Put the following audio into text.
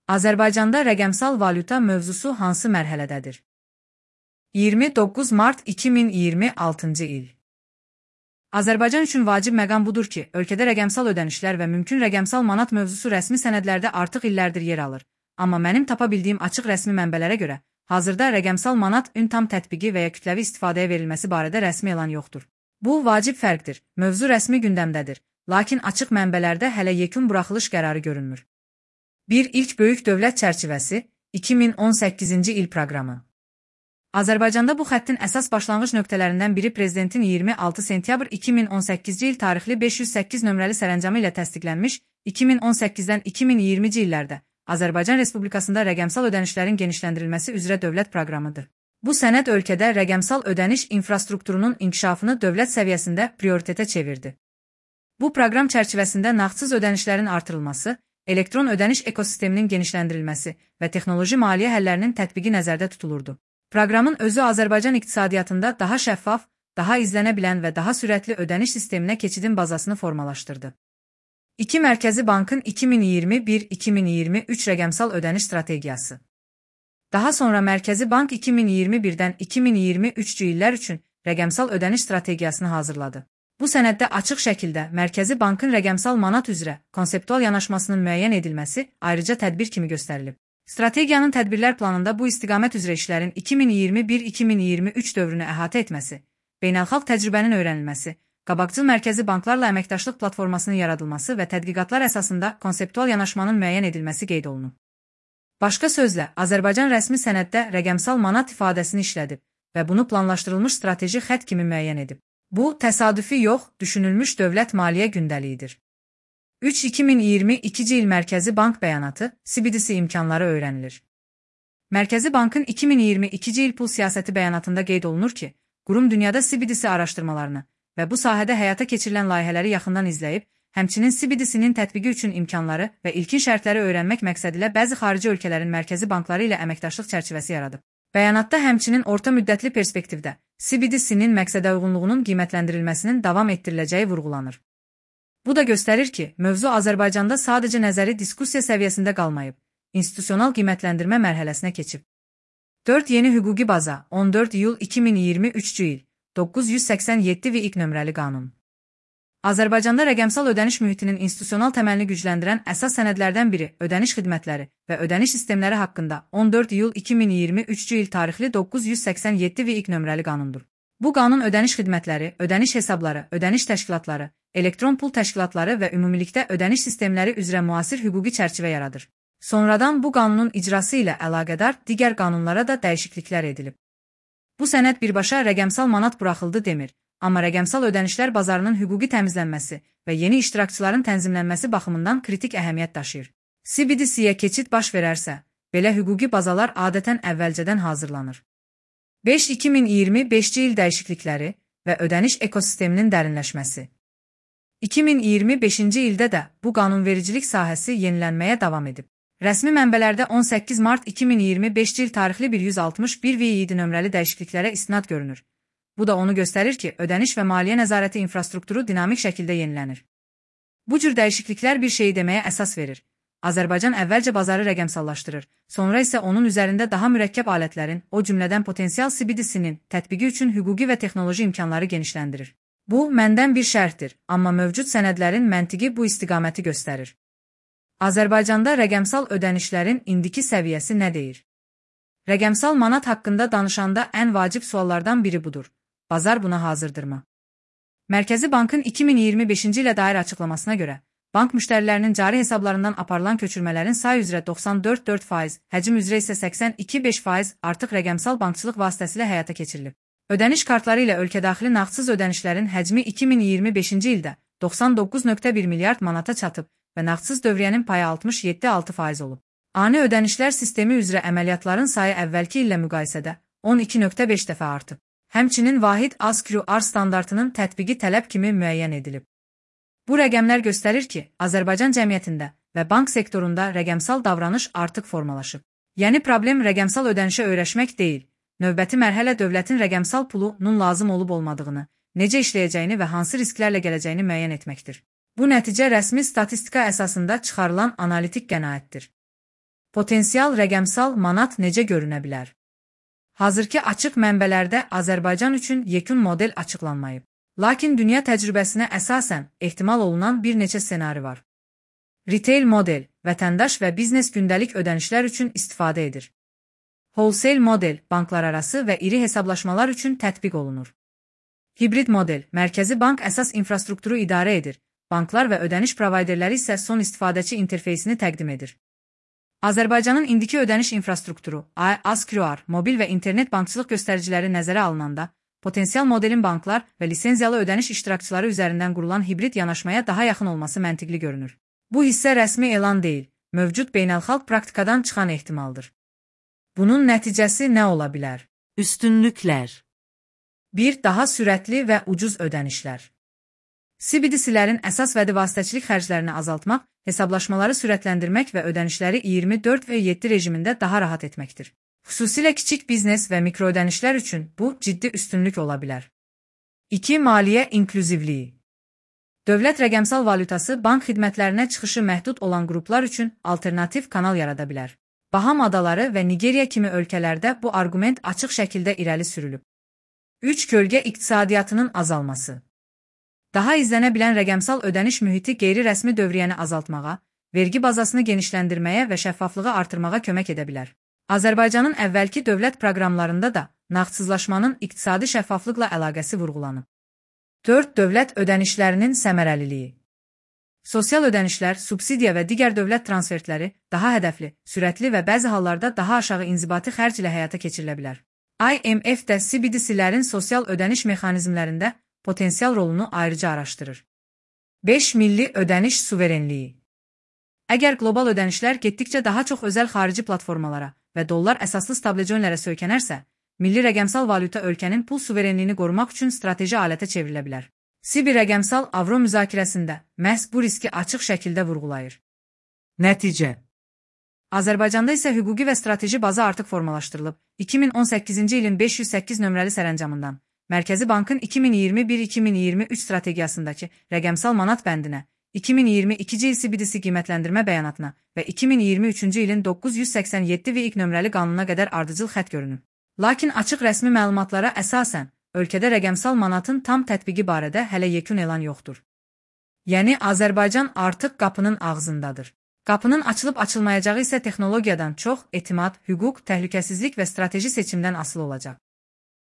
Azərbaycanda rəqəmsal valyuta mövzusu hansı mərhələdədir? 29 mart 2026-cı il. Azərbaycan üçün vacib məqam budur ki, ölkədə rəqəmsal ödənişlər və mümkün rəqəmsal manat mövzusu rəsmi sənədlərdə artıq illərdir yer alır. Amma mənim tapa bildiyim açıq rəsmi mənbələrə görə, hazırda rəqəmsal manat tam tətbiqi və ya kütləvi istifadəyə verilməsi barədə rəsmi elan yoxdur. Bu, vacib fərqdir, mövzu rəsmi gündəmdədir, lakin açıq mənbələrdə hələ yekun buraxılış qərarı görünmür. 1. İlk böyük dövlət çərçivəsi, 2018-ci il proqramı. Azərbaycanda bu xəttin əsas başlanğıc nöqtələrindən biri Prezidentin 26 sentyabr 2018-ci il tarixli 508 nömrəli sərəncamı ilə təsdiqlənmiş 2018-dən 2020-ci illərdə Azərbaycan Respublikasında rəqəmsal ödənişlərin genişləndirilməsi üzrə dövlət proqramıdır. Bu sənəd ölkədə rəqəmsal ödəniş infrastrukturunun inkişafını dövlət səviyyəsində prioritetə çevirdi. Bu proqram çərçivəsində nağdsız ödənişlərin artırılması, elektron ödəniş ekosisteminin genişləndirilməsi və texnoloji maliyyə həllərinin tətbiqi nəzərdə tutulurdu. Proqramın özü Azərbaycan iqtisadiyyatında daha şəffaf, daha izlənə bilən və daha sürətli ödəniş sisteminə keçidin bazasını formalaşdırdı. 2. Mərkəzi Bankın 2021-2023 rəqəmsal ödəniş strategiyası. Daha sonra Mərkəzi Bank 2021-dən 2023-cü illər üçün rəqəmsal ödəniş strategiyasını hazırladı. Bu sənəddə açıq şəkildə Mərkəzi Bankın rəqəmsal manat üzrə konseptual yanaşmasının müəyyən edilməsi ayrıca tədbir kimi göstərilib. Strategiyanın tədbirlər planında bu istiqamət üzrə işlərin 2021-2023 dövrünü əhatə etməsi, beynəlxalq təcrübənin öyrənilməsi, qabaqcıl mərkəzi banklarla əməkdaşlıq platformasının yaradılması və tədqiqatlar əsasında konseptual yanaşmanın müəyyən edilməsi qeyd olunub. Başqa sözlə, Azərbaycan rəsmi sənəddə rəqəmsal manat ifadəsini işlədib və bunu planlaşdırılmış strateji xətt kimi müəyyən edib. Bu, təsadüfi yox, düşünülmüş dövlət maliyyə gündəliyidir. 3. 2022-ci il Mərkəzi Bank bəyanatı, CBDC imkanları öyrənilir. Mərkəzi Bankın 2022-ci il pul siyasəti bəyanatında qeyd olunur ki, qurum dünyada CBDC araşdırmalarını və bu sahədə həyata keçirilən layihələri yaxından izləyib, həmçinin CBDC-nin tətbiqi üçün imkanları və ilkin şərtləri öyrənmək məqsədilə bəzi xarici ölkələrin mərkəzi bankları ilə əməkdaşlıq çərçivəsi yaradıb. Bəyanatda həmçinin orta müddətli perspektivdə CBDC-nin məqsədə uyğunluğunun qiymətləndirilməsinin davam etdiriləcəyi vurğulanır. Bu da göstərir ki, mövzu Azərbaycanda sadəcə nəzəri diskussiya səviyyəsində qalmayıb, institusional qiymətləndirmə mərhələsinə keçib. 4. Yeni hüquqi baza, 14 iyul 2023-cü il, 987 və ilk nömrəli qanun. Azərbaycanda rəqəmsal ödəniş mühitinin institusional təməlini gücləndirən əsas sənədlərdən biri ödəniş xidmətləri və ödəniş sistemləri haqqında 14 iyul 2023-cü il tarixli 987 və ilk nömrəli qanundur. Bu qanun ödəniş xidmətləri, ödəniş hesabları, ödəniş təşkilatları, elektron pul təşkilatları və ümumilikdə ödəniş sistemləri üzrə müasir hüquqi çərçivə yaradır. Sonradan bu qanunun icrası ilə əlaqədar digər qanunlara da dəyişikliklər edilib. Bu sənəd birbaşa rəqəmsal manat buraxıldı demir, amma rəqəmsal ödənişlər bazarının hüquqi təmizlənməsi və yeni iştirakçıların tənzimlənməsi baxımından kritik əhəmiyyət daşıyır. CBDC-yə keçid baş verərsə, belə hüquqi bazalar adətən əvvəlcədən hazırlanır. 5. 2025-ci il dəyişiklikləri və ödəniş ekosisteminin dərinləşməsi. 2025-ci ildə də bu qanunvericilik sahəsi yenilənməyə davam edib. Rəsmi mənbələrdə 18 mart 2025-ci il tarixli 161 V7 nömrəli dəyişikliklərə istinad görünür. Bu da onu göstərir ki, ödəniş və maliyyə nəzarəti infrastrukturu dinamik şəkildə yenilənir. Bu cür dəyişikliklər bir şeyi deməyə əsas verir. Azərbaycan əvvəlcə bazarı rəqəmsallaşdırır, sonra isə onun üzərində daha mürəkkəb alətlərin, o cümlədən potensial CBDC-nin tətbiqi üçün hüquqi və texnoloji imkanları genişləndirir. Bu, məndən bir şərtdir, amma mövcud sənədlərin məntiqi bu istiqaməti göstərir. Azərbaycanda rəqəmsal ödənişlərin indiki səviyyəsi nə deyir? Rəqəmsal manat haqqında danışanda ən vacib suallardan biri budur. Bazar buna hazırdırmı? Mərkəzi Bankın 2025-ci ilə dair açıqlamasına görə, bank müştərilərinin cari hesablarından aparılan köçürmələrin say üzrə 94,4%, həcm üzrə isə 82,5% artıq rəqəmsal bankçılıq vasitəsilə həyata keçirilib. Ödəniş kartları ilə ölkədaxili nağdsız ödənişlərin həcmi 2025-ci ildə 99,1 milyard manata çatıb və nağdsız dövriyyənin payı 67,6% olub. Ani ödənişlər sistemi üzrə əməliyyatların sayı əvvəlki illə müqayisədə 12,5 dəfə artıb. Həmçinin vahid ASQR standartının tətbiqi tələb kimi müəyyən edilib. Bu rəqəmlər göstərir ki, Azərbaycan cəmiyyətində və bank sektorunda rəqəmsal davranış artıq formalaşıb. Yəni problem rəqəmsal ödənişə öyrəşmək deyil, növbəti mərhələ dövlətin rəqəmsal pulunun lazım olub-olmadığını, necə işləyəcəyini və hansı risklərlə gələcəyini müəyyən etməkdir. Bu nəticə rəsmi statistika əsasında çıxarılan analitik qənaətdir. Potensial rəqəmsal manat necə görünə bilər? Hazırki açıq mənbələrdə Azərbaycan üçün yekun model açıqlanmayıb. Lakin dünya təcrübəsinə əsasən ehtimal olunan bir neçə ssenari var. Retail model, vətəndaş və biznes gündəlik ödənişlər üçün istifadə edir. Wholesale model, banklararası və iri hesablaşmalar üçün tətbiq olunur. Hibrid model, mərkəzi bank əsas infrastrukturu idarə edir, banklar və ödəniş provayderləri isə son istifadəçi interfeysini təqdim edir. Azərbaycanın indiki ödəniş infrastrukturu, AS-QR, mobil və internet bankçılıq göstəriciləri nəzərə alınanda, potensial modelin banklar və lisenziyalı ödəniş iştirakçıları üzərindən qurulan hibrid yanaşmaya daha yaxın olması məntiqli görünür. Bu hissə rəsmi elan deyil, mövcud beynəlxalq praktikadan çıxan ehtimaldır. Bunun nəticəsi nə ola bilər? Üstünlüklər. 1. Daha sürətli və ucuz ödənişlər. CBDC-lərin əsas vədi vasitəçilik xərclərini azaltmaq, hesablaşmaları sürətləndirmək və ödənişləri 24/7 rejimində daha rahat etməkdir. Xüsusilə kiçik biznes və mikroödənişlər üçün bu ciddi üstünlük ola bilər. 2. Maliyyə inklüzivliyi. Dövlət rəqəmsal valyutası bank xidmətlərinə çıxışı məhdud olan qruplar üçün alternativ kanal yarada bilər. Baham adaları və Nigeriya kimi ölkələrdə bu arqument açıq şəkildə irəli sürülüb. 3. Kölgə iqtisadiyyatının azalması. Daha izlənə bilən rəqəmsal ödəniş mühiti qeyri-rəsmi dövriyyəni azaltmağa, vergi bazasını genişləndirməyə və şəffaflığı artırmağa kömək edə bilər. Azərbaycanın əvvəlki dövlət proqramlarında da nağdsızlaşmanın iqtisadi şəffaflıqla əlaqəsi vurğulanıb. 4. Dövlət ödənişlərinin səmərəliliyi. Sosial ödənişlər, subsidiya və digər dövlət transfertləri daha hədəfli, sürətli və bəzi hallarda daha aşağı inzibati xərc ilə həyata keçirilə bilər. IMF də CBDC-lərin sosial ödəniş mexanizmlərində potensial rolunu ayrıca araşdırır. 5. Milli ödəniş suverenliyi. Əgər qlobal ödənişlər getdikcə daha çox özəl xarici platformalara və dollar əsaslı stablecoinlərə söykənərsə, milli rəqəmsal valyuta ölkənin pul suverenliyini qorumaq üçün strateji alətə çevrilə bilər. CBI rəqəmsal avro müzakirəsində məhz bu riski açıq şəkildə vurğulayır. Nəticə. Azərbaycanda isə hüquqi və strateji baza artıq formalaşdırılıb. 2018-ci ilin 508 nömrəli sərəncamından Mərkəzi Bankın 2021-2023 strategiyasındakı rəqəmsal manat bəndinə, 2022-ci il CBDC qiymətləndirmə bəyanatına və 2023-cü ilin 987 VİQ nömrəli qanununa qədər ardıcıl xətt görünür. Lakin açıq rəsmi məlumatlara əsasən, ölkədə rəqəmsal manatın tam tətbiqi barədə hələ yekun elan yoxdur. Yəni, Azərbaycan artıq qapının ağzındadır. Qapının açılıb-açılmayacağı isə texnologiyadan çox etimad, hüquq, təhlükəsizlik və strateji seçimdən asılı olacaq.